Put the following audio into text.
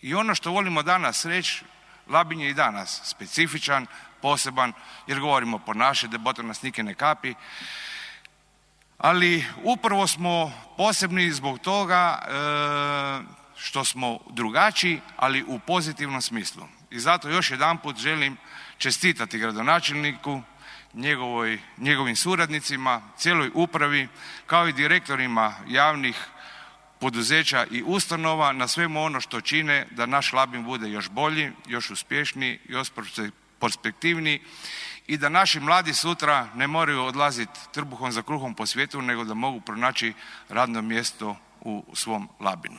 I ono što volimo danas reći, Labin je i danas specifičan, poseban, jer govorimo po naše, da boto nas nike ne kapi, ali upravo smo posebni zbog toga što smo drugačiji, ali u pozitivnom smislu. I zato još jedanput želim čestitati gradonačelniku, njegovim suradnicima, cijeloj upravi, kao i direktorima javnih poduzeća i ustanova na svemu ono što čine da naš Labin bude još bolji, još uspješniji, još perspektivniji i da naši mladi sutra ne moraju odlaziti trbuhom za kruhom po svijetu, nego da mogu pronaći radno mjesto u svom Labinu.